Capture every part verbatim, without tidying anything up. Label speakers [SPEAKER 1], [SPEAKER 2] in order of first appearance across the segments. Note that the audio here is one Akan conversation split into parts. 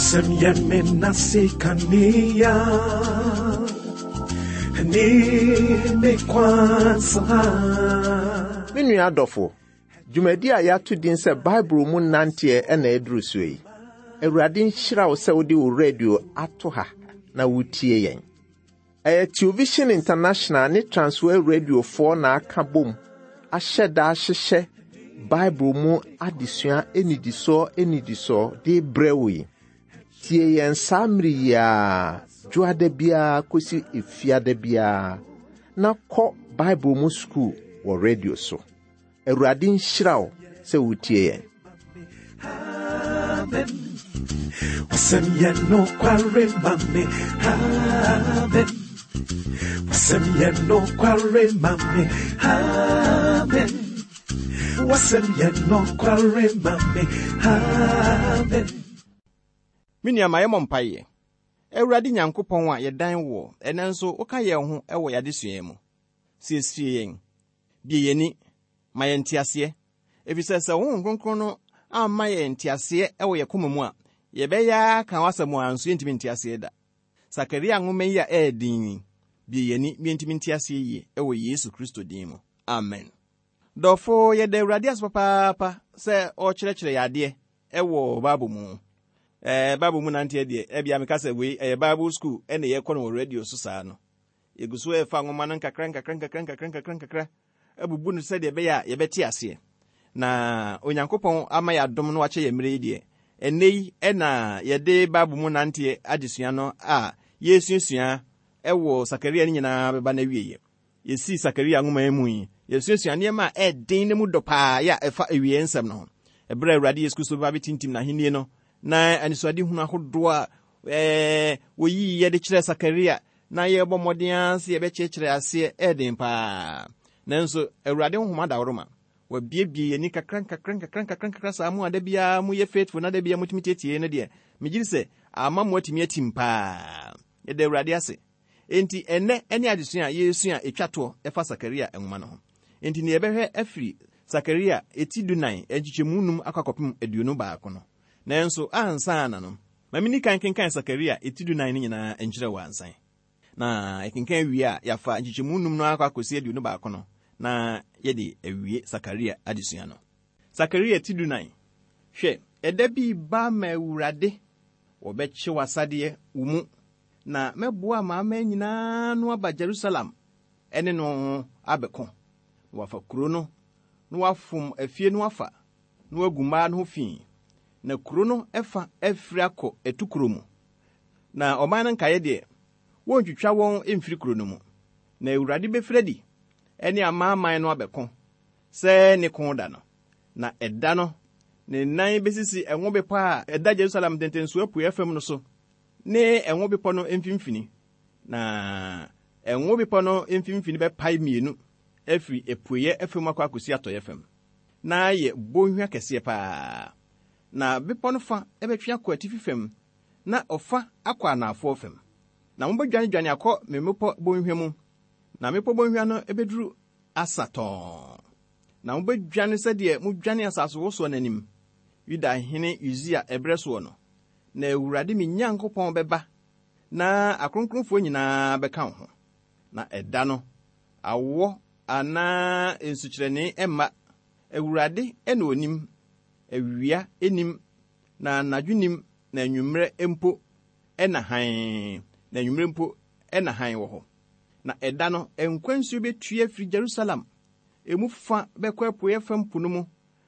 [SPEAKER 1] Wasɛm yɛ me nase kanea ne me kwansa.
[SPEAKER 2] Me nua adɔfo, dwumadi a yɛato din sɛ Bible mu nanteɛ ɛna ɛduru so yi. Awurade nhyira wo sɛ wode wo radio ato ha na wotie yɛn. Ɛyɛ Television International ne Transworld Radiofoɔ na aka bom ahyɛ da ahyehyɛ Bible mu adesua anidisoɔ anidisoɔ de brɛ wo yi. Tie yɛn saa mmere yi ara, dwoada biara kɔsi efiada biara, na kɔ Bible mu sukuu wɔ radio so. Awurade nhyira wo sɛ wotie yɛn.
[SPEAKER 1] Amen. Wasɛm yɛ nokware ma me. Amen. Wasɛm yɛ nokware ma me. Amen. Wasɛm yɛ nokware ma me. Amen.
[SPEAKER 3] Me nua, ma yɛmmɔ mpaeɛ. Awurade Nyankopɔn a yɛdan wɔ, ɛnɛ nso woka yɛn ho wɔ yɛadesua mu. Siesie yɛn, bie yɛn ani, ma yɛn nteaseɛ. Ɛfiri sɛ Honhom Kronkron no amma yɛn nteaseɛ wɔ yɛn koma mu a, yɛbɛyɛ aka w'asɛm a nso yɛntumi nteaseɛ da. Sakaria nwoma yi a ɛyɛ den yi, bie yɛn ani, yɛntumi nteaseɛ yie wɔ Yesu Kristo din mu. Amen. Dɔfo, yɛda Awurade ase papaapa sɛ ɔrekyerɛkyerɛ yɛn adeɛ ɛwɔ Bible mu. Ɛɛ Bible mu nanteɛ deɛ, ɛbia meka sɛ wei ɛyɛ Bible school ɛna yɛkɔ no wɔ radio so saa no. Yɛgu so ɛfa nwoma no nkakra nkakra nkakra nkakra nkakra nkakra abubu no sɛdeɛ ɛbɛyɛ a yɛbɛte aseɛ. Na Onyankopɔn ama yɛ adom no wakyɛ yɛn mmerɛ yi deɛ, ɛnnɛ yi ɛna yɛde Bible mu nanteɛ adesua no a yɛresuasua ɛwɔ Sakaria no nyinaa bɛba no awieeɛ. Yɛsii Sakaria nwoma yi mu yi, yɛsuasua nneɛma a ɛɛden ne mu dɔ paa yɛ a ɛfa awie nsɛm no ho. Ɛberɛ a Awurade Yesu Kristo bɛba bɛtintim n'ahennie no, na anisoadehunu ahodoɔ a ɛɛ wɔyii yɛde kyerɛ Sakaria na yɛrebɔ mmɔden ara sɛ yɛbɛkyerɛkyerɛ aseɛ ɛɛden paa. Nanso Awurade honhom adaworoma, wabiebie yɛn ani kakra nkakra nkakra nkakra nkakra saa mu a da biara moyɛ faithful na da biara motumi tietie no deɛ, megye di sɛ ama mo atumi atim paa. Yɛda Awurade ase. Enti ɛnnɛ ne adesua a yɛresua a ɛtwa toɔ ɛfa Sakaria nwoma no ho. Enti nea yɛbɛhwɛ afiri Sakaria eti dunan nkyekyɛmu num akɔ akɔpem aduonu baako no. Nanso ansa na no, ma menni kan kenkan Sakaria eti dunan no nyinaa nkyerɛ wɔ ansan. Na yɛkenkan wie a, yɛafa nkyekyɛmu num no akɔ akɔsi aduonu baako no, na yɛde awie Sakaria adesua no. Sakaria ti dunan. Hwɛ, ɛda bi ba ma Awurade, wɔbɛkye w'asadeɛ wo mu, na mɛboa amanaman nyinaa no aba Jerusalem ɛne no abɛko. Na wafa kuro no, na wafom afie no afa, na wagu mmaa no ho fi. Na kuro no ɛfa afiri akɔ atukuro mu. Na ɔman no nkaeɛ deɛ, wɔntwitwa wɔn mfiri kuro no mu. Na Awurade bɛfiri adi ɛne amanaman no abɛko sɛ ne ko da no. Na ɛda no, ne nan bɛsisi ɛngo bepɔ a ɛda Jerusalem ntentensoɔ apueɛ fam no so, ne ɛngo bepɔ no mfimfini. Na ɛngo bepɔ no mfimfini bɛpae mmienu afiri apueɛ fam akɔ akɔsi atɔeɛ fam. Na ayɛ bɔnhwa kɛseɛ paa. Na bepɔ no fa bɛtwe akɔ atifi fam, na ɔfa akɔ anaafoɔ fam. Na mobɛdwanedwane akɔ me mmepɔ bɔnhwa mu, na mmepɔ bɔnhwa no bɛduru Asa tɔnn. Na mobɛdwane sɛdeɛ modwane asasewosoɔ n'anim, Yudahene Usia ɛberɛ soɔ no. Na Awurade me Nyankopɔn bɛba, na akronkronfoɔ nyinaa bɛka wo ho. Na ɛda no, awɔ anaa nsukyerɛnne mma. Awurade na onim, awia nim, na anadwo nim, na anwummerɛ mpo ɛna hann, na anwummerɛ mpo ɛna hann wɔ hɔ. Na ɛda no, nkwa nsuo bɛtue afiri Jerusalem. Emu fa bɛkɔ apueɛ fam po no mu,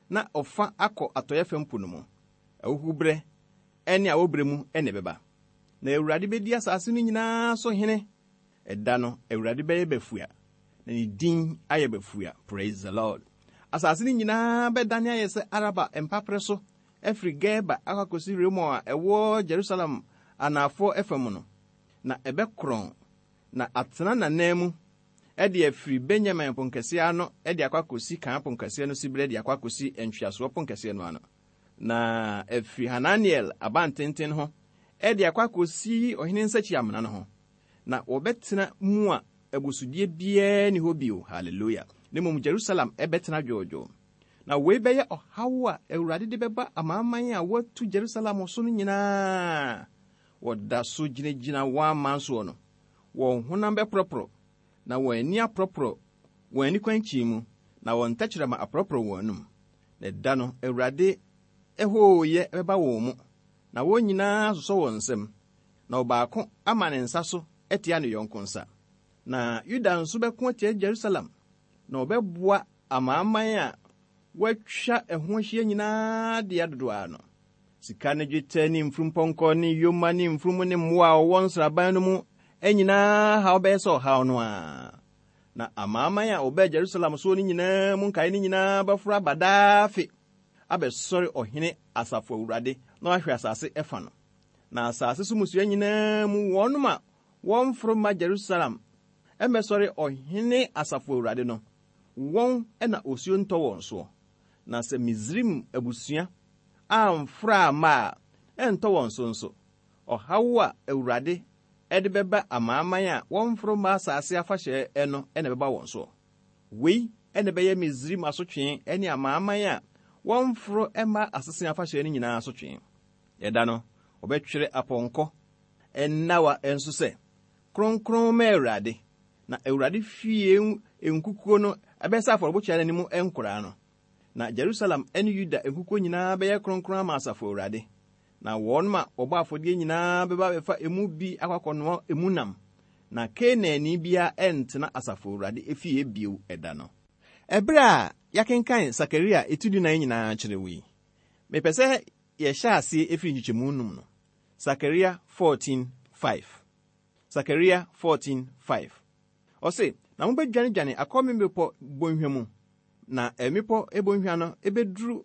[SPEAKER 3] na ɔfa akɔ atɔeɛ fam po no mu. Ahuhuberɛ ɛne awɔberɛ mu ɛna ɛbɛba. Na Awurade bɛdi asase no nyinaa so hene. Ɛda no, Awurade bɛyɛ bafua, na ne din ayɛ bafua. Praise the Lord. Asase no nyinaa bɛdane ayɛ sɛ Araba mpaperɛ so, afiri Geba akɔ akɔsi Rimon a ɛwɔ Jerusalem anaafoɔ fam no. Na ɛbɛkorɔn, na atena n'anan mu, ɛde afiri Benyamin ponkɛseɛ ano ɛde akɔ akɔsi kan ponkɛseɛ no siberɛ de akɔ akɔsi ntweasoɔ ponkɛseɛ no ano. Na afiri Hananiel abantenten ho ɛde akɔ akɔsi ɔhene nsakyi-amena no ho. Na wɔbɛtena mu a abusudeɛ biara nni hɔ bio. Hallelujah. Na mmom Jerusalem ɛbɛtena dwoodwoo. Na wei bɛyɛ ɔhaw a Awurade de bɛba amanaman a wɔatu Jerusalem so no nyinaa. Wɔda so gyinagyina wɔn aman soɔ no, wɔn honam bɛporɔporɔ, na wɔn ani aporɔporɔ wɔn ani kwankyin mu, na wɔn tɛkyerɛma aporɔporɔ wɔn anum. Na ɛda no, Awurade ɛhooyɛ bɛba wɔn mu, na wɔn nyinaa sosɔ wɔn nsam, na ɔbaako ama ne nsa so atia ne yɔnko nsa. Na Yuda nso bɛko atia Jerusalem, na ɔbɛboa amanaman a wɔatwa ɛho ahyia nyinaa de adodoɔ ano. Sika ne dwetɛ ne mfurumpɔnkɔ ne yoma ne mfurum ne mmoa a wɔwɔ nsraban no mu nyinaa haw bɛyɛ sɛ ɔhaw no a. Na amanaman a wɔbɛɛ Jerusalem soɔ no nyinaa mu nkae no nyinaa bɛforo aba daa afe abɛsɔre ɔhene asafo Awurade na wahwɛ asase ɛfa no. Na asase so mmusua nyinaa mu wɔnom a wɔmforo ma Jerusalem ɛmmɛsɔre ɔhene asafo Awurade no, wɔn na osuo ntɔ wɔn soɔ. Na sɛ Misraim abusua amforo amma a, ɛntɔ wɔn so nso. Ɔhaw a Awurade ɛde bɛba amanaman a wɔmforo mma asase afahyɛ no ɛna ɛbɛba wɔn soɔ. Wei ɛna ɛbɛyɛ Misraim asotwe ne amanaman a wɔmforo mma asese afahyɛ no nyinaa asotwe. Ɛda no, wɔbɛtwerɛ apɔnkɔ nnawa nso sɛ, Kronkron ma Awurade, na Awurade fie nkukuo no ɛbɛsɛ afɔrebukyia no anim nkoraa no. Na Jerusalem ne Yuda nkukuo nyinaa bɛyɛ kronkron ama asafo Awurade. Na wɔn a wɔbɔ afɔdeɛ nyinaa bɛba abɛfa emu bi akɔakɔnoa emu nam. Na Kanaanni biara ɛntena asafo Awurade efie bio ɛda no. Ɛberɛ a yɛakenkan Sakaria eti dunan nyinaa kyerɛ wo yi, mepɛ sɛ yɛhyɛ aseɛ efiri nkyekyɛmu num no. Sakaria fourteen five. Sakaria fourteen five. Ɔse, na mobɛdwanedwane akɔ me mmepɔ bonhwa mu, na mmepɔ bonhwa no ebɛduru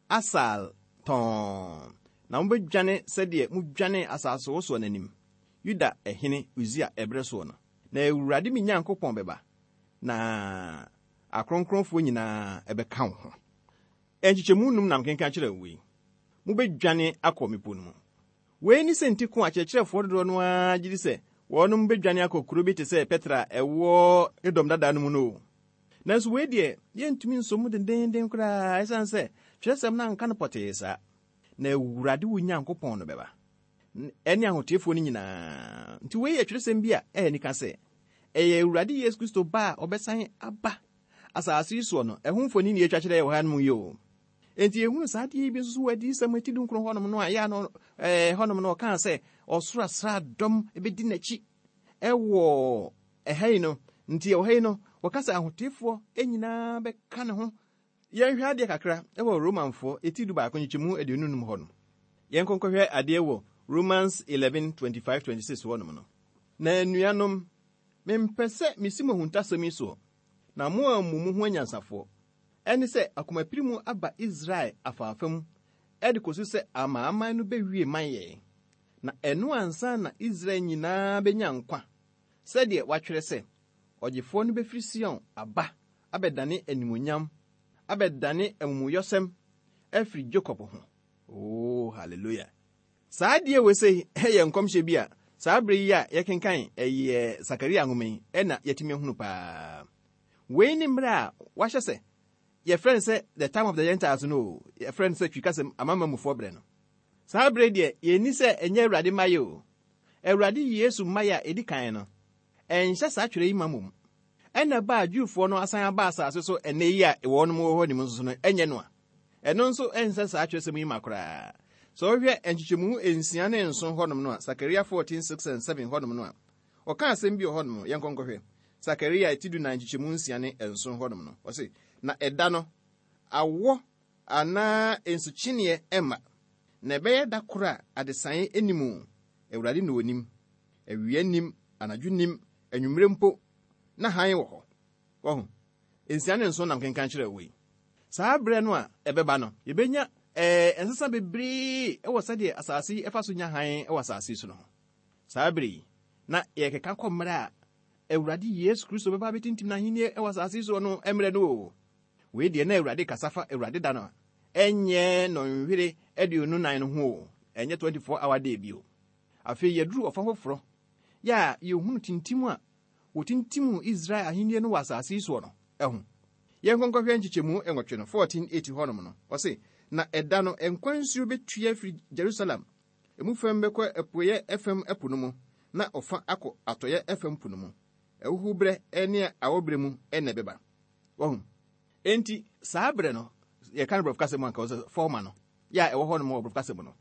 [SPEAKER 3] Asal tɔn. Na mobɛdwane sɛdeɛ modwane asase wosoɔ n'anim, Yuda ɛhene Usia ɛberɛ soɔ no. Na Awurade me Nyankopɔn bɛba, na akronkronfoɔ nyinaa ɛbɛka wo ho. Nkyekyɛmu num nam kenkan kyerɛ wo yi. Mobɛdwane akɔ mmepɔ no mu. Wei ne sɛ nti ko akyerɛkyerɛfoɔ dodoɔ no ara gye di sɛ wɔnom bɛdwane akɔ kuro bi te sɛ Petra a ɛwɔ Edom dada no mu no. Nanso wei deɛ, yɛntumi nso mu dendenden koraa, ɛsiane sɛ twerɛsɛm no anka no pɔtee saa. Na Awurade wo Nyankopɔn no bɛba, ɛne ahoteefoɔ no nyinaa. Nti wei yɛ twerɛsɛm bi a ɛyɛ nika sɛ ɛyɛ Awurade Yesu Kristo ba a ɔbɛsan aba asase yi soɔ no, ɛho mfoni ne yɛtwa kyerɛ wɔ ha no mu yi o. Enti yɛhunu saa adeɛ yi bi nso so wɔ adiyisɛm eti dunkron hɔnom no a ɛyɛ ano, ɛɛ, hɔnom no ɔkaa sɛ ɔsoro asraadɔm bɛdi n'akyi ɛwɔ ɛha yi no. Nti ɛwɔ ha yi no, wɔka sɛ ahoteefoɔ nyinaa bɛka ne ho. Yɛnhwɛ adeɛ kakra ɛwɔ Romanfoɔ eti du baako nkyekyɛmu aduonu num hɔ no. Yɛnkɔ nkɔhwɛ adeɛ wɔ Romans eleven twenty-five twenty-six hɔnom no. Na anuanom, mempɛ sɛ mesi mo ahuntasɛm yi soɔ, na mo ammu mo ho anyansafoɔ. Ɛne sɛ akomapiri mu aba Israel afaafa mu, ɛde kɔsi sɛ amanaman no bɛwie man yɛn. Na ɛno ansa na Israel nyinaa bɛnya nkwa, sɛdeɛ wɔatwerɛ sɛ, ɔgyefoɔ no bɛfiri Sion aba abɛdane animuonyam, abɛdane amumuyɔsɛm afiri Jacob ho. Oh, hallelujah. Saa adeɛ wei sɛ ɛyɛ nkɔmhyɛ bi a saa bere yi a yɛkenkan ɛyɛ Sakaria nwoma yi ɛna yɛtumi ahunu paa. Wei ne mmerɛ a wahyɛ sɛ yɛfrɛ no sɛ the time of the Gentiles no o, yɛfrɛ no sɛ twikasɛm amanamanmufoɔ berɛ no. Saa bere deɛ yɛnni sɛ ɛnyɛ Awurade mmaeɛ o. Awurade Yesu mmaeɛ a ɛdi kan no, ɛnhyɛ saa twerɛ yi ma mmom. Ɛna ba a Jewfoɔ no asan aba asase so ɛnnɛ yi a wɔnom wɔ hɔ nim nso no, ɛnyɛ no a. Ɛno nso ɛnsɛ saa twerɛsɛm yi ma koraa. Sɛ wohwɛ nkyekyɛmu nsia ne nson hɔnom no a, Sakaria fourteen six and seven hɔnom no a, ɔka asɛm bi wɔ hɔnom, yɛnkɔ nkɔhwɛ. Sakaria ti du nan nkyekyɛmu nsia ne nson hɔnom no, ɔse, na ɛda no, awɔ anaa nsukyeneɛ ɛmma, na ɛbɛyɛ da koro a adesaeɛ anim o, Awurade na onim. Awia nim, anadwo nim, anwummerɛ mpo, na hann wɔ hɔ. Wɔho, nsia ne nson nam kenkan kyerɛ wo yi. Saa berɛ no a ɛbɛba no, yɛbɛnya, ɛɛ, nsesa bebree ɛwɔ sɛdeɛ asase yi ɛfa so nya hann ɛwɔ asase yi so no ho. Saa berɛ yi, na yɛkeka kɔ mmerɛ a Awurade Yesu Kristo bɛba abɛtintim n'ahennie ɛwɔ asase yi so no mmerɛ no o. Wei deɛ na Awurade kasa fa Awurade da no a, ɛnyɛ nnɔnhwere aduonu nan no ho o, ɛnyɛ twenty-four hour day bio. Afei yɛduru ɔfa foforɔ, yɛ a yɛhunu tintim a wɔtintim Israel ahennie no wɔ asase yi soɔ no ɛho. Yɛnkɔnkɔhwɛ nkyekyɛmu nwɔtwe no, fourteen eight hɔnom no, ɔse, na ɛda no nkwa nsuo bɛtua afiri Jerusalem, emu fam bɛkɔ apueeɛ fam ɛpo no mu, na ɔfa akɔ atɔeɛ fam po no mu. Ɛhuhu berɛ ne awɔberɛ mu ɛna ɛbɛba. Wɔhu. Enti saa berɛ no, yɛka no borɔfo kasa mu anka wɔ sɛ former no, yɛ a ɛwɔ hɔnom wɔ borɔfo kasa mu no,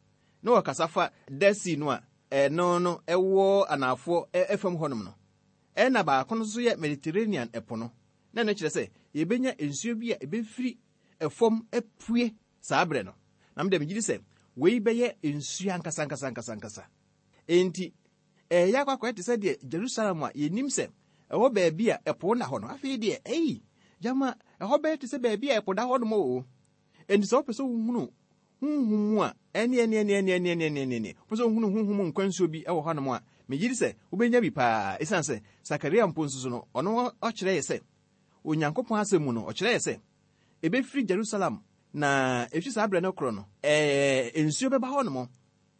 [SPEAKER 3] na wɔkasa fa Dead Sea no a ɛno no ɛwɔ anaafoɔ fam hɔnom no. Ɛna baako no nso yɛ Mediterranean ɛpo no. Na ɛno kyerɛ sɛ yɛbɛnya nsuo bi a ɛbɛfiri ɛfam apue saa berɛ no. Na mede megye di sɛ wei bɛyɛ nsuo ankasa ankasa ankasa ankasa. Enti ɛyɛ akɔ akɔyɛ te sɛ deɛ Jerusalem a yɛnim sɛ ɛwɔ baabi a ɛpo na hɔ no. Afei deɛ, ɛyi, gyama ɛhɔ bɛyɛ te sɛ baabi a ɛpo da hɔ nom o. Enti sɛ wopɛ sɛ wohunu honhom mu a, ɛne ɛne ɛne ɛne ɛne ɛne ɛne ɛne, wopɛ sɛ wohunu honhom mu nkwa nsuo bi ɛwɔ hɔnom a, megye di sɛ wobɛnya bi paa. Ɛsiane sɛ Sakaria mpo nso so no, ɔno ɔkyerɛ yɛ sɛ Onyankopɔn asɛm mu no, ɔkyerɛ yɛ sɛ ɛbɛfiri Jerusalem na ɛfiri saa berɛ no korɔ no, ɛɛ nsuo bɛba hɔnom.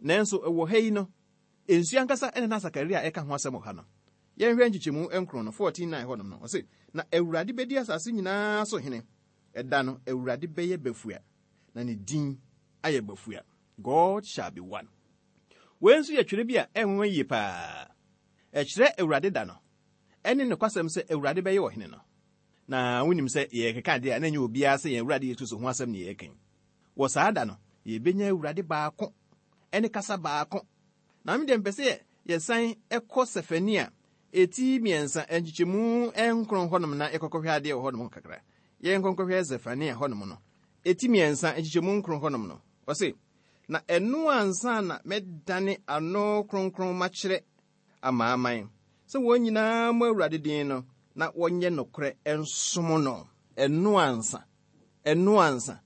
[SPEAKER 3] Nanso ɛwɔ ha yi no, nsuo ankasa ɛna na Sakaria ɛka ho asɛm wɔ ha no. Yɛnhwɛ nkyekyɛmu nkron no, fourteen nine hɔnom no, ɔse, na Awurade bɛdi asase nyinaa so hene. Ɛda no, Awurade bɛyɛ bafua, na ne din ayɛ bafua. God shall be one. Wei nso yɛ twerɛ bi a ɛnwanwa yie paa. Ɛkyerɛ Awurade da no, ɛne nokwasɛm sɛ Awurade bɛyɛ ɔhene no. Na wonim sɛ yɛkeka adeɛ a na ɛnyɛ obiara sɛ yɛn Awurade Yesu Kristo ho asɛm ne yɛreka. Wɔ saa da no, yɛbɛnya Awurade baako ɛne kasa baako. Na me deɛ mpɛ sɛ yɛsan ɛkɔ Sefania eti mmiɛnsa nkyekyɛmu nkron hɔnom na yɛkɔkɔhwɛ adeɛ wɔ hɔnom kakra. Yɛnkɔnkɔhwɛ Sefania hɔnom no. Eti mmiɛnsa nkyekyɛmu nkron hɔnom no. Ɔse, na ɛno ansa na mɛdane ano kronkron makyerɛ amanaman, sɛ wɔn nyinaa mmɔ Awurade din no, na wɔnyɛ nokorɛ nsom no. Ɛno ansa, ɛno ansa,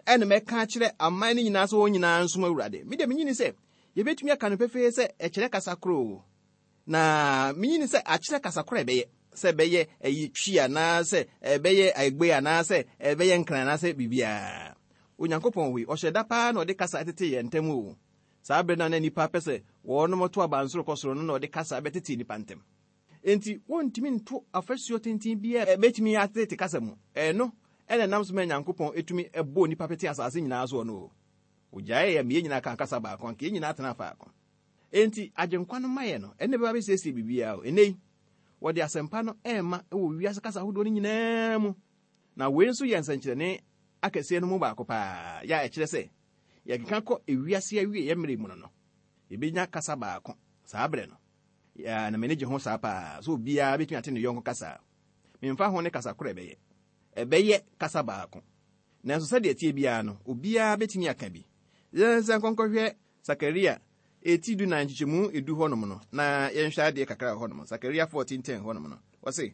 [SPEAKER 3] ɛna mɛka akyerɛ aman no nyinaa sɛ wɔn nyinaa nsom Awurade. Me deɛ menyini sɛ yɛbɛtumi aka no pefee sɛ ɛkyerɛ kasa koro o. Na menyini sɛ akyerɛ kasa koro a ɛbɛyɛ, sɛ ɛbɛyɛ ɛyi Twi anaasɛ ɛbɛyɛ Egbe anaasɛ ɛbɛyɛ Nkran anaasɛ biribiara. Onyankopɔn wei, ɔhyɛ da paa na ɔde kasa tete yɛn ntam o. Saa berɛ no a na nnipa pɛ sɛ wɔnom to abansoro kɔ soro no na ɔde kasa bɛtete nnipa ntam. Enti wɔntumi nto afasuo tenten biara ɛbɛtumi atete kasa mu. Ɛno ɛna nam so ma Nyankopɔn etumi ɛbɔ nnipa pete asase nyinaa soɔ no o. Ogyae yɛ mmea nyinaa ka kasa baako, anka yɛn nyinaa tena faako. Enti agyenkwa no mayɛ no, ɛne bɛba bɛsiesie biribiara o. Ɛnnɛ yi, wɔde asɛmpa no ɛrema ɛwɔ wiase kasa ahodoɔ no nyinaa mu. Na wei nso yɛ nsɛnkyerɛnne akɛseɛ no mu baako paa, yɛ a ɛkyerɛ sɛ yɛkeka kɔ ewiase awie yɛ mmerɛ mu no no, yɛbɛnya kasa baako saa berɛ no. Ya, na m'ani gye ho saa paa, sɛ obiara bɛtumi ate ne yɔnko kasa. Memfa ho ne kasa korɔ ɛbɛyɛ. Ɛbɛyɛ kasa baako. Nanso sɛdeɛ ɛteɛ biara no, obiara bɛtumi aka bi. Yɛnsan nkɔnkɔhwɛ Sakaria eti du nan nkyekyɛmu edu hɔnom no, na yɛnhwɛ adeɛ kakra wɔ hɔnom. Sakaria fourteen ten hɔnom no, ɔse,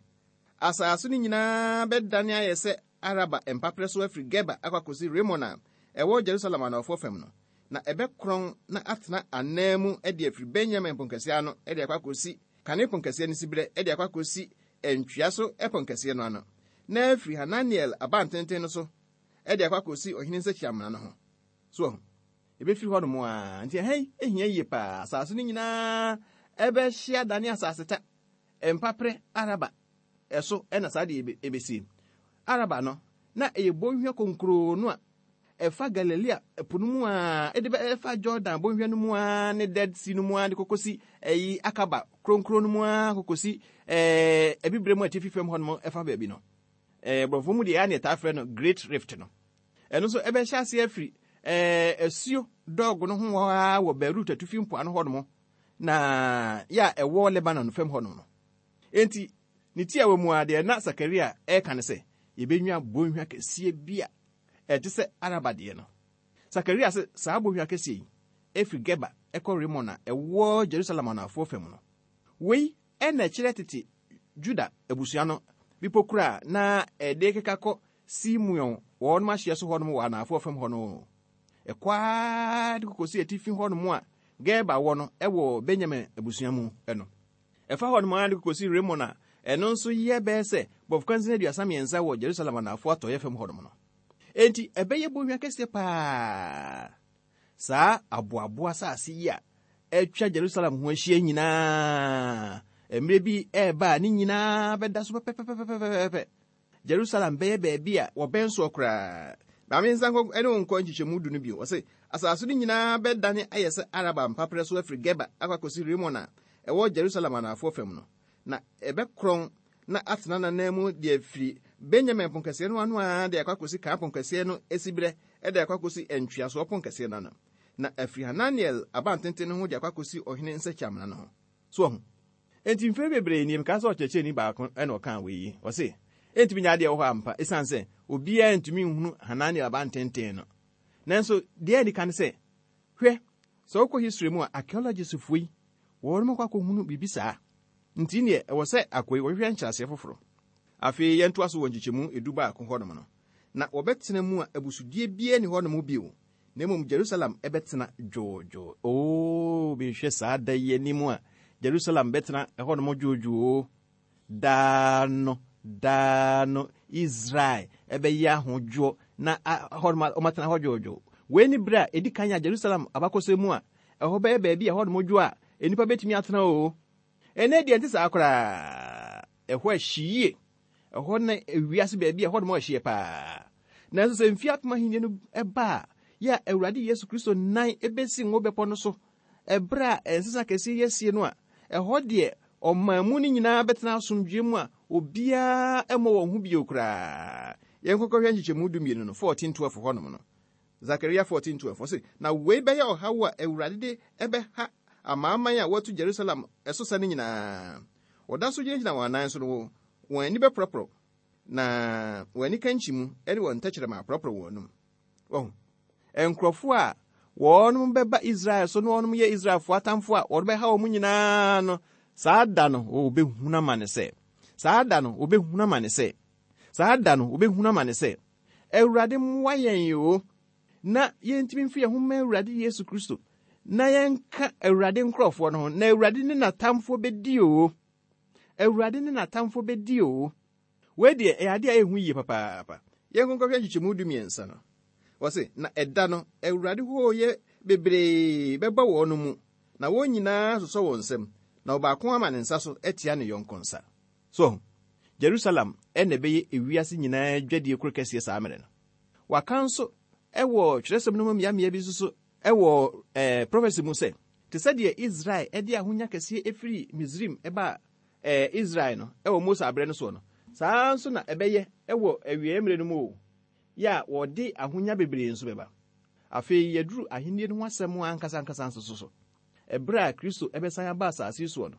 [SPEAKER 3] asase no nyinaa bɛdane ayɛ sɛ Araba mpaperɛ so afiri Geba akɔ akɔsi Rimon a ɛwɔ Jerusalem anɔfoɔ fam no, na ɛbɛkorɔn na atena anan mu de afiri Benyamin ponkɛseɛ ano de akɔ akɔsi Kane ponkɛseɛ no siberɛ de akɔ akɔsi ntwea so ponkɛseɛ no ano, na afiri Hananiel abantenten no so de akɔ akɔsi ɔhene nsakyiamena no ho. So ahu, ɛbɛfiri hɔnom a, nti ɛha yi ehia yie paa. Asase no nyinaa ɛbɛhyia dane asase ta, mpaperɛ Araba ɛso ɛna saa deɛ ɛbɛsie. Araba no, na ɛyɛ bɔnhwa konkroo no a ɛfa Galilea ɛpo no mu a, ɛde bɛ ɛfa Jordan bɔnhwa no mu a, ne Dead Sea no mu a, de kɔkɔsi ɛyi Akaba kronkron no mu a, kɔkɔsi ɛɛ Abibire mu atifi fam hɔnom ɛfa baabi no. Ɛɛ borɔfo mu deɛ ɛyɛ a na yɛtaa frɛ no Great Rift no. Ɛno nso ɛbɛhyɛ aseɛ afiri ɛɛ asuo dɔɔgo no ho hɔ ara wɔ Beirut atifi mpoano hɔnom, na yɛ a ɛwɔ Lebanon fam hɔnom no. Enti ne ti a wɔ mu a deɛ na Sakaria ɛreka ne sɛ yɛbɛnya bɔnhwa kɛseɛ bi a ɛte sɛ Araba deɛ no. Sakaria sɛ saa bɔnhwa kɛseɛ yi ɛfiri Geba ɛkɔ Rimon a ɛwɔ Jerusalem anafoɔ fam no. Wei ɛna ɛkyerɛ tete Juda abusua no bepɔ kura a na ɛde keka kɔ Simeon wɔn ahyeɛ so hɔnom wɔ anafoɔ fam hɔ no. Ɛkɔ ara de kɔkɔsi atifi hɔnom a Geba wɔ no ɛwɔ Benyamin abusua mu ɛno. Ɛfa hɔnom ara de kɔkɔsi Rimon a ɛno nso yɛ bɛyɛ sɛ bɔfokwansin aduasa mmiɛnsa wɔ Jerusalem anafoɔ atɔeɛ fam hɔnom no. Enti ɛbɛyɛ bɔnhwa kɛseɛ paa. Saa aboaboa asase yi a atwa Jerusalem ho ahyia nyinaa, mmerɛ bi ɛreba a ne nyinaa bɛda so pɛpɛpɛpɛpɛpɛ. Jerusalem bɛyɛ baabi a wɔbɛn soɔ koraa. Maame nsa nkɔ ne wo nkɔ nkyekyɛmu du no bio. Ɔse asase no nyinaa bɛdane ayɛ sɛ Araba mpaperɛ so afiri Geba akɔ akɔsi Rimon a ɛwɔ Jerusalem anafoɔ fam no. Na ɛbɛkorɔn na atena n'anan mu de afiri Benyamin ponkɛseɛ no ano a de akɔ akɔsi kan ponkɛseɛ no esiberɛ de akɔ akɔsi ntweasoɔ ponkɛseɛ no ano. Na afiri Hananiel abantenten no ho de akɔ akɔsi ɔhene nsakyiamena no ho. So ɔho. Enti mfiri bebree nie meka sɛ ɔkyerɛkyerɛni baako ɛna ɔkaa wei yi. Ɔse, entumi nyɛ adeɛ wɔ hɔ ampa esiane sɛ obiara ntumi nhunu Hananiel abantenten no. Nanso deɛ adi kan sɛ, hwɛ, sɛ wokɔ history mu a archaeologistfoɔ yi, wɔn akɔ akɔhunu biribi saa. Nti neɛ ɛwɔ sɛ akɔyi wɔhwehwɛ nkyerɛaseɛ foforɔ. Afei yɛntoa so wɔ nkyekyɛmu edu baako hɔnom no. Na wɔbɛtena mu a abusudie biara ni hɔnom bio. Na mmom Jerusalem ɛbɛtena dwoodwoo. Oo, mehwɛ saa da yi anim a Jerusalem bɛtena ɛhɔnom dwoodwoo. Daa no, daa no, Israel ɛbɛyɛ ahodwoɔ na hɔnom ɔmatena hɔ dwoodwoo. Wei ni berɛ a ɛdi kan a Jerusalem abakɔsɛm mu a ɛhɔ bɛyɛ baabi a ɛhɔnom dwo a nnipa bɛtumi atena o. Ɛnɛ deɛ nte saa koraa. Ɛhɔ ahyi yie. Ɛhɔ na ewiase baabi a ɛhɔnom ahyeɛ paa. Nanso sɛ mfeɛ apem ahenni no ɛba a, yɛ a Awurade Yesu Kristo nan ebesi ngo bepɔ no so, ɛberɛ a nsesa kɛseɛ yi asie no a, ɛhɔ deɛ ɔman mu no nyinaa bɛtena asomdwoe mu a obiara mmɔ wɔn ho bio koraa. Yɛnkɔkɔhwɛ nkyekyɛmu dumienu no, fourteen twelve hɔnom no. Zakaria fourteen twelve ɔse, na wei bɛyɛ ɔhaw a Awurade de ɛbɛha amanaman a wɔatu Jerusalem ɛso sa no nyinaa. Wɔda so gyinagyina wɔn anan so no, wɔn ani bɛporɔporɔ, na wɔn ani kankyi mu ne wɔn ntɛkyerɛma aporɔporɔ wɔn anum. Wɔn nkurɔfoɔ a wɔn bɛba Israel so na wɔn yɛ Israelfoɔ atamfoɔ a wɔn bɛha wɔn nyinaa no, saa da no wɔbɛhunu amane sɛ, saa da no wɔbɛhunu amane sɛ, saa da no wɔbɛhunu amane sɛ, Awurade mmoa yɛn o, na yɛntumi mfi yɛn ho mma Awurade Yesu Kristo, na yɛnka Awurade nkurɔfoɔ no ho, na Awurade ne n'atamfoɔ bɛdi o. Awurade ne n'atamfoɔ bɛdi o. Wei deɛ ɛyɛ adeɛ a ɛhu yie papaapa. Yɛnkɔnkɔhwɛ nkyekyɛmu du mmiɛnsa no. Wɔse, na ɛda no, Awurade hooyɛ bebree bɛba wɔn no mu, na wɔn nyinaa sosɔ wɔn nsam, na ɔbaako ama ne nsa so atia ne yɔnko nsa. So, Jerusalem ɛna ɛbɛyɛ ewiase nyinaa dwadie koro kɛseɛ saa mmerɛ no. Waka nso ɛwɔ twerɛsɛm no mu mmeammea bi nso so ɛwɔ ɛɛ prophecy mu sɛ, te sɛ deɛ Israel ɛde ahonya kɛseɛ efiri Misrim ɛba ɛɛ Israel no ɛwɔ Mose abrɛ no soɔ no, saa nso na ɛbɛyɛ ɛwɔ awieeɛ mmerɛ no mu o, yɛ a wɔde ahonya bebree nso bɛba. Afei yɛduru ahenni no ho asɛm ankasa ankasa nso so so. Ɛberɛ a Kristo ɛbɛsan aba asase soɔ no,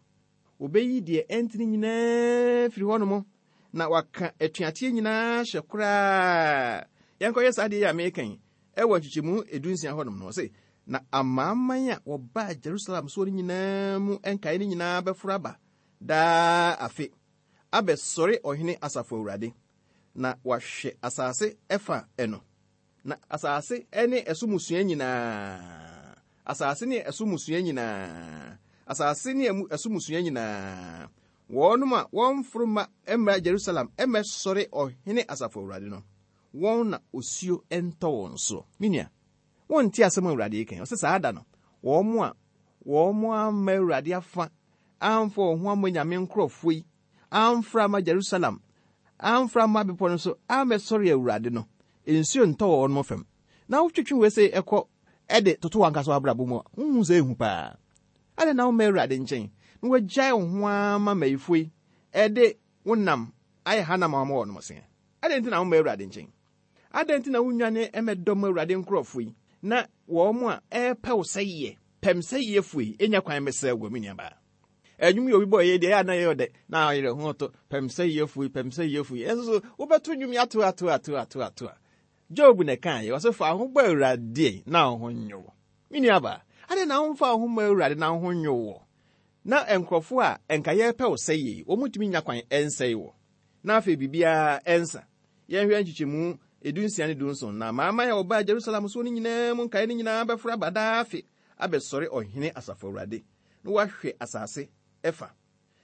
[SPEAKER 3] obeyi deɛ ɛntene nyinaa firi hɔnom, na waka atuateɛ nyinaa hyɛ koraa. Yɛnkɔyɛ saa deɛ yi a meka yi, ɛwɔ nkyekyɛmu edunsia hɔnom no, ɔse, na amanaman a wɔbaa Jerusalem soɔ no nyinaa mu nkae no nyinaa bɛforo aba daa afe, abɛsɔre ɔhene asafo Awurade, na wahwɛ asase ɛfa ɛno. Na asase ne ɛso mmusua nyinaa, asase ne ɛso mmusua nyinaa, asase ne ɛso mmusua nyinaa, wɔnom a wɔmforo mma mmra Jerusalem mmɛsɔre ɔhene asafo Awurade no, wɔn na osuo ntɔ wɔn so. Me nua, wonte asɛm a Awurade yi kan. Ɔsɛ saa da no, wɔn a wɔn amma Awurade afa, amfa wɔn ho amma Nyame nkurɔfoɔ yi, amfra amma Jerusalem, amfra amma bepɔ no so, ammɛsɔre Awurade no, nsuo ntɔ wɔn fam. Na wotwetwe wei sɛ ɛkɔ ɛde toto wɔn ankasa abrabɔ mu a, wohu sɛ ehu paa. Adɛn na womma Awurade nkyɛn na wagyae wo ho ama mmayifoɔ yi ɛde wo nam ayɛ hanam a wɔma wɔn se? Adɛn nti na womma Awurade nkyɛn? Adɛn nti na wonnwane mmɛdɔm Awurade nkurɔfoɔ yi na wɔn a ɛrepɛ wo sɛeɛ, pɛm sɛeɛfoɔ yi, ɛnya kwan mmɛsɛe wo, me nuabaa? Ɛnwom yi obi bɔ yɛ deɛ ɛyɛ a na ɛyɛ ɔdɛ na ɔyerɛ ho to pɛm sɛeɛfoɔ yi, pɛm sɛeɛfoɔ yi. Ɛnso so wobɛto nnwom yi ato ato ato ato ato a. Job na ɛkaeɛ, ɔsɛ fa ho bɔ Awurade na wo ho nnwo wo. Me nuabaa, adɛn na womfa wo ho mmɔ Awurade na wo ho nnwo wo? Na nkurɔfoɔ a ɛnka yɛrepɛ wo sɛeɛ yi, wɔn ntumi nya kwan ɛnsɛe wo. Na afei biribiara ɛnsa. Yɛnhwɛ nkyekyɛmu edunsia ne dunson. Na amanaman a wɔbaa Jerusalem soɔ no nyinaa mu nkaeɛ no nyinaa bɛforo aba daa afe abɛsɔre ɔhene asafo Awurade, na wahwɛ asase ɛfa.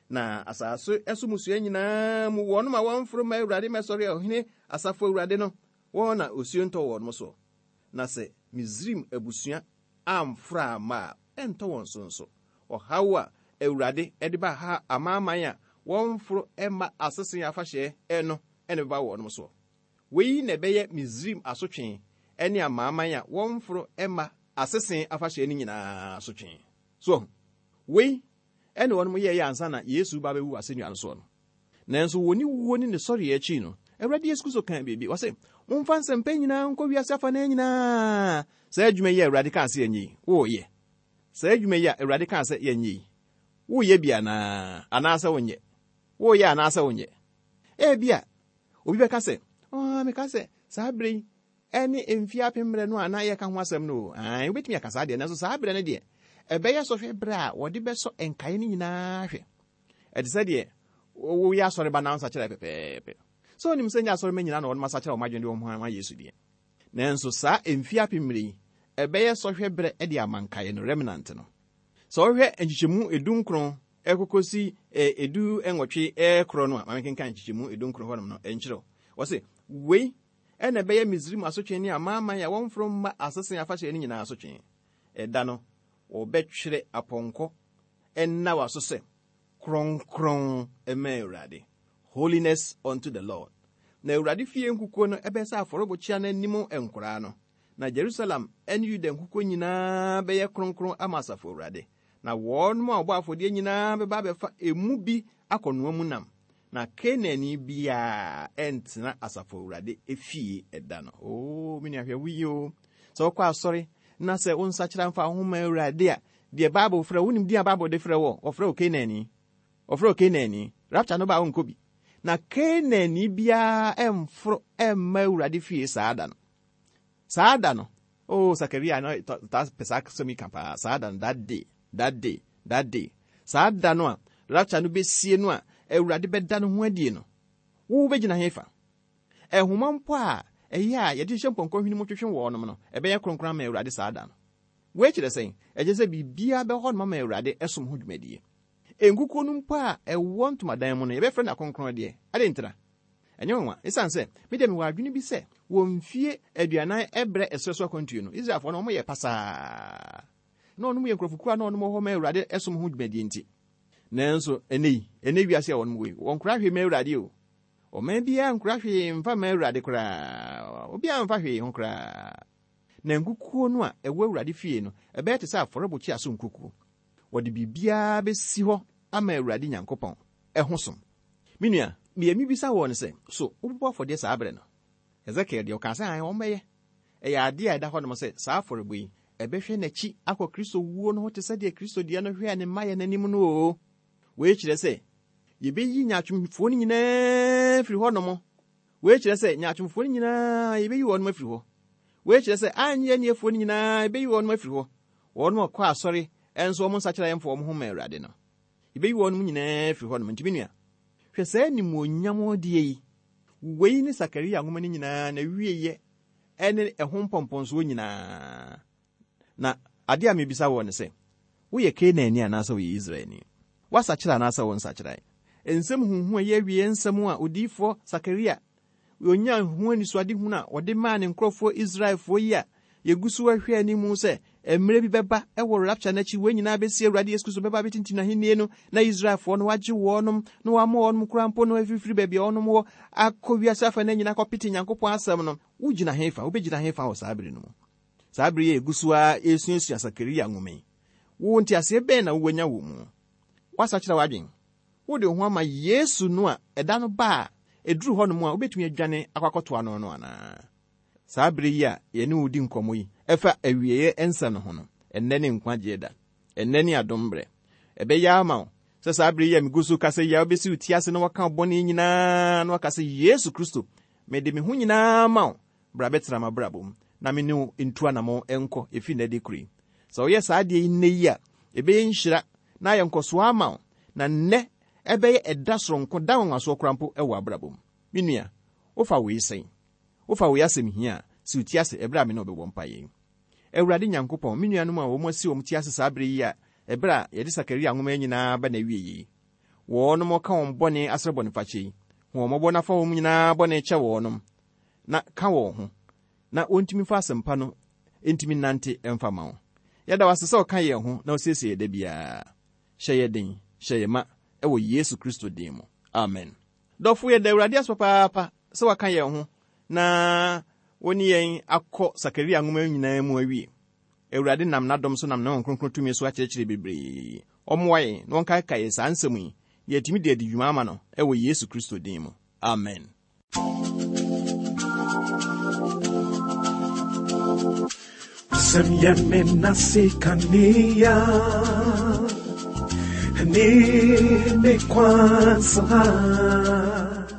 [SPEAKER 3] Na asase ɛso mmusua nyinaa mu wɔnom a wɔmforo mma Awurade mmɛsɔre ɔhene asafo Awurade no, wɔn na osuo ntɔ wɔn soɔ. Na sɛ Misraim abusua amforo amma a, ɛntɔ wɔn so nso. Ɔhaw a Awurade ɛde ba ha amanaman a wɔmforo mma asese afahyɛ ɛno, ɛna ɛbɛba wɔn soɔ. Wei na ɛbɛyɛ Misraim asotwe ne amanaman a wɔmforo mma asese afahyɛ no nyinaa asotwe. So wei ɛne wɔn yɛɛyɛ ansa na Yesu ba bɛwu asennua no soɔ no. Nanso wɔ ne wuo ne ne sɔreɛ akyi no, Awurade Yesu Kristo kaa biribi. Ɔse, momfa nsɛmpa nyinaa nkɔ wiase afa no nyinaa. Saa adwuma yi a Awurade kaa sɛ yɛnyɛ yi, woyɛ. Saa adwuma yi a Awurade kaa sɛ yɛnyɛ yi, woyɛ bi anaa? Anaasɛ wonyɛ? Woyɛ anaasɛ wonyɛ? Ebia, obi bɛka sɛ, oh, meka sɛ saa berɛ yi ɛne mfeɛ apem mmerɛ no a na yɛka ho asɛm no o. Ae, wobɛtumi aka saa deɛ, nanso saa berɛ no deɛ, ɛbɛyɛ sɔhwɛ berɛ a wɔde bɛsɔ nkaeɛ no nyinaa hwɛ. Ɛte sɛ deɛ woyɛ asɔreba na nsakyerɛ pɛpɛɛpɛ. Sɛ onim sɛ nyɛ asɔreba nyinaa na wɔnom asakyerɛ wɔn adwene de wɔn ho ama Yesu deɛ. Nanso saa mfeɛ apem mmerɛ yi, ɛbɛyɛ sɔhwɛ berɛ de ama nkaeɛ no, remnant no. Sɛ wohwɛ nkyekyɛmu edu nkron ɛkɔkɔsi edu nwɔtwe ɛkorɔ no a, ma menkenkan nkyekyɛmu edu nkron hɔnom no ɛnkyerɛw. Wɔse, wei ɛna ɛbɛyɛ Misraim asotwe ne amanaman a wɔmforo mma asese afahyɛ no nyinaa asotwe. Ɛda no, wɔbɛtwerɛ apɔnkɔ ɛnna w'aso sɛ kronkron ɛma Awurade. Holiness unto the Lord. Na Awurade fie nkukuo no ɛbɛyɛ sɛ afɔrebukyia no anim nkoraa no. Na Jerusalem ne Yuda nkukuo nyinaa bɛyɛ kronkron ama asafo Awurade. Na wɔn a wɔbɔ afɔdeɛ nyinaa bɛba abɛfa emu bi akɔnoa mu nam. Na Kanaanni biara ɛntena asafo Awurade efie ɛda no. Oo, me nua hwɛ wo yie o. Sɛ wokɔ asɔre na sɛ wo nsakyera mfa wo ho ma Awurade a, deɛ Bible frɛ wo, wonim din a Bible de frɛ wɔ, ɔfrɛ wo Kanaanni. Ɔfrɛ wo Kanaanni. Rapture no ba a wonkɔ bi. Na Kanaanni biara ɛmforo ɛmma Awurade fie saa da no. Saa da no, oh, Sakaria no taa pɛ saa asɛm yi ka paa. Saa da no, that day, that day, that day. Saa da no a rapture no bɛsie no a Awurade bɛda no ho adie no, wo bɛgyina he fa? Ɛhoma mpo a ɛyɛ a yɛde hyehyɛ mpɔnkɔ hwene mu twetwe wɔnom no, ɛbɛyɛ kronkron ama Awurade saa da no. Wei kyerɛ sɛn? Ɛkyerɛ sɛ biribiara bɛhɔ nom ama Awurade ɛsom ho dwumadie. Nkukuo no mpo a ɛwɔ ntomadan mu no, yɛbɛfrɛ no akronkron deɛ. Ade ntira? Ɛnyɛ nwanwa. Ɛsiane sɛ, me deɛ mewɔ adwene bi sɛ, wɔ mfie aduanan ɛbrɛ ɛserɛ so akwantuo no, Israelfoɔ no, wɔyɛ pasaa. Na wɔnom yɛ nkurɔfokuo a na wɔnom wɔ hɔ ma Awurade ɛsom ho dwumadie nti. Nanso, ɛnɛ yi, ɛnɛ wiase a wɔnom wɔ yi, wɔnkora hwee ma Awurade o. Ɔman biara nkora hwee mfa ma Awurade koraa. Obiara mfa hwee ho koraa. Na nkukuo no a ɛwɔ Awurade fie no, ɛbɛyɛ te sɛ afɔrebukyia so nkukuo. Wɔde biribiara bɛsi hɔ ama Awurade Nyankopɔn ɛho som. Me nua, deɛ mibisa wɔ ne sɛ, so wobɛbɔ afɔdeɛ saa berɛ no? Ezekiel deɛ ɔkaa sɛ ae wɔn bɛyɛ. Ɛyɛ adeɛ a ɛda hɔnom sɛ saa afɔrebɔ yi, ɛbɛhwɛ n'akyi akɔ Kristo wuo no ho te sɛ deɛ Kristo deɛ no hwɛɛ ne mmayɛ n'anim no o. Wei kyerɛ sɛ, yɛbɛyi nyaatwomfoɔ no nyinaa firi hɔnom. Wei kyerɛ sɛ nyaatwomfoɔ no nyinaa yɛbɛyi wɔn afiri hɔ. Wei kyerɛ sɛ anyɛ aniefoɔ no nyinaa yɛbɛyi wɔn afiri hɔ. Wɔn a wɔkɔ asɔre ɛnso wɔn nsakyera yɛmfa wɔn ho ma Awurade no. Yɛbɛyi wɔn nyinaa afiri hɔnom. Nti me nua, hwɛ saa animuonyam deɛ yi. Wei ne Sakaria nwoma no nyinaa na wieyɛ ɛne ɛho mpɔmpɔnsoɔ nyinaa. Na adeɛ a mebisa wɔ ne sɛ, woyɛ Kanaanni anaasɛ woyɛ Israelni? Woasakyera anaasɛ wo nsakyerae? Nsɛm huhu a ɛyɛ awie nsɛm a odiyifoɔ Sakaria onya ho anisoadehunu a ɔde maa ne nkurɔfoɔ Israelfoɔ yi a yɛgu so ahwɛ anim sɛ mmerɛ bi bɛba ɛwɔ rapture n'akyi, wɔn nyinaa bɛsi Awurade Yesu Kristo bɛba abɛtintim n'ahennie no, na Israelfoɔ no wagye wɔnom na wama wɔnom koraa mpo no afirifiri baabi a wɔnom wɔ akɔ wiase afa no nyinaa kɔpete Nyankopɔn asɛm no. Wogyina he fa? Wobɛgyina he fa wɔ saa bere no mu? Saa bere yi yɛgu so a ɛsuasua Sakaria nwoma yi, wo nteaseɛ bɛn na wowanya wɔ mu? Woasakyerɛ w'adwen? Wode wo ho ama Yesu no a ɛda no ba a ɛduru hɔnom a wobɛtumi adwane akɔ akɔtoa no no anaa? Saa bere yi a yɛne wo di nkɔmmɔ yi ɛfa awieeɛ nsa no ho no, ɛnnɛ ne nkwagyeɛ da, ɛnnɛ ne adom berɛ. Ɛbɛyɛ ama wo sɛ saa bere yi a megu so kasa yi a wobɛsi wo ti ase na waka wo bɔne nyinaa na waka sɛ, Yesu Kristo, mede me ho nyinaa ma wo, bra bɛtena m'abrabɔ mu na me ne wo ntu anammɔn nkɔ ɛfiri nnɛ de koro yi. Sɛ woyɛ saa adeɛ yi nnɛ yi a, ɛbɛyɛ nhyira na ayɛ nkɔsoɔ ama wo, na nnɛ ɛbɛyɛ ɛda soronko, da nwanwasoɔ koraa mpo ɛwɔ abrabɔ mu. Me nua, wofa wei sɛn? Wofa wei asɛm hia a, si wo ti ase ɛberɛ a me ne wo bɛbɔ mpaeɛ yi. Awurade Nyankopɔn, me nuanom a wɔn asi wɔn ti ase saa bere yi a ɛberɛ a yɛde Sakaria nwoma yi nyinaa ba n'awie yi, wɔnom ka wɔn bɔne asrɛ bɔnefakyɛ yi, hu wɔn mmɔbɔ na fa wɔn nyinaa bɔne kyɛ wɔnom, na ka wɔn ho, na wɔntumi fa asɛmpa no ntumi nante ɛmfa ma wo. Yɛda wo ase sɛ ɔka yɛn ho na ɔsiesie yɛ da biara. Hyɛ yɛ den, hyɛ yɛ ma ɛwɔ Yesu Kristo din mu. Amen. Dɔfo, yɛda Awurade ase papaapa sɛ waka yɛn ho na wo ne yɛn akɔ Sakaria nwoma nyinaa mu awie. Awurade nam n'adom so nam ne Honhom Kronkron tumi so akyerɛkyerɛ bebree. Ɔmmoa yɛn na ɔnkaekae yɛn saa nsɛm yi na yɛatumi de adi dwuma ama no ɛwɔ Yesu Kristo din mu. Amen.
[SPEAKER 1] Wasɛm yɛ me nase kanea ne me kwan so ha.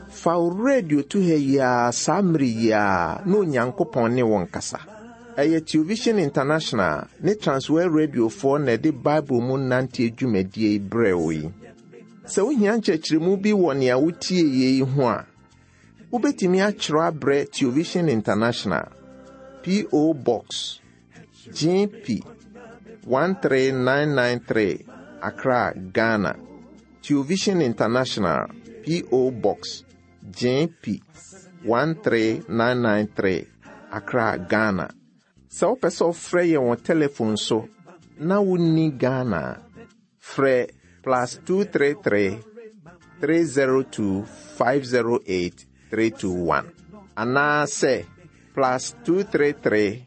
[SPEAKER 2] Fa wo radio to ha yi ara saa mmere yi ara na Onyankopɔn ne wo nkasa. Ɛyɛ Television International ne Transworld Radiofoɔ na ɛde Bible mu nante dwumadie yi brɛ wo yi. Sɛ wohia nkyerɛkyerɛmu bi wɔ nea wotie yi ho a, wobɛtumi akyerɛw abrɛ Television International, P O. Box G P one three nine nine three, Accra, Ghana. Television International, P O. Box G P one three nine nine three, Accra, Ghana. Sɛ wopɛ sɛ wofrɛ yɛn wɔ telephone so na wonni Ghana a, frɛ plus two three three, three zero two, five zero eight three two one anaasɛ plus two three three,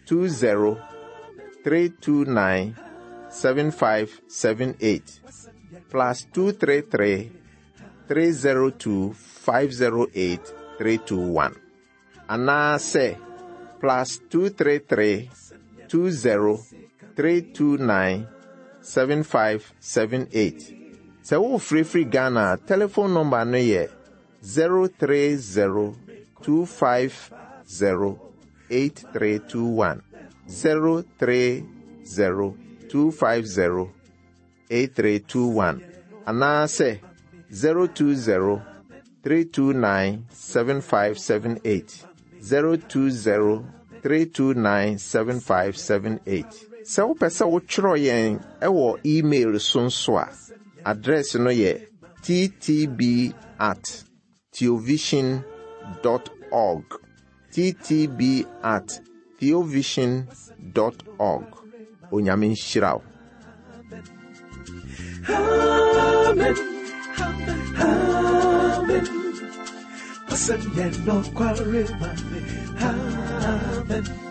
[SPEAKER 2] two zero, three two nine seven five seven eight, plus two three three, three zero two, five zero eight three two one anaasɛ plus two three three, two zero, three two nine seven five seven eight. Sɛ wofirifiri Ghana a, telephone number no yɛ zero three zero, two five zero eight three two one, zero three zero, two five zero eight three two one anaasɛ zero two zero, three two nine seven five seven eight, zero two zero, three two nine seven five seven eight. Sɛ wopɛ sɛ wotwerɛ yɛn ɛwɔ email so nso a, address no yɛ T T B at theovision dot org, T T B at theovision dot org. Onyame nhyira wo.
[SPEAKER 1] Amen. Amen. Wasɛm yɛ nokware ma me. Amen.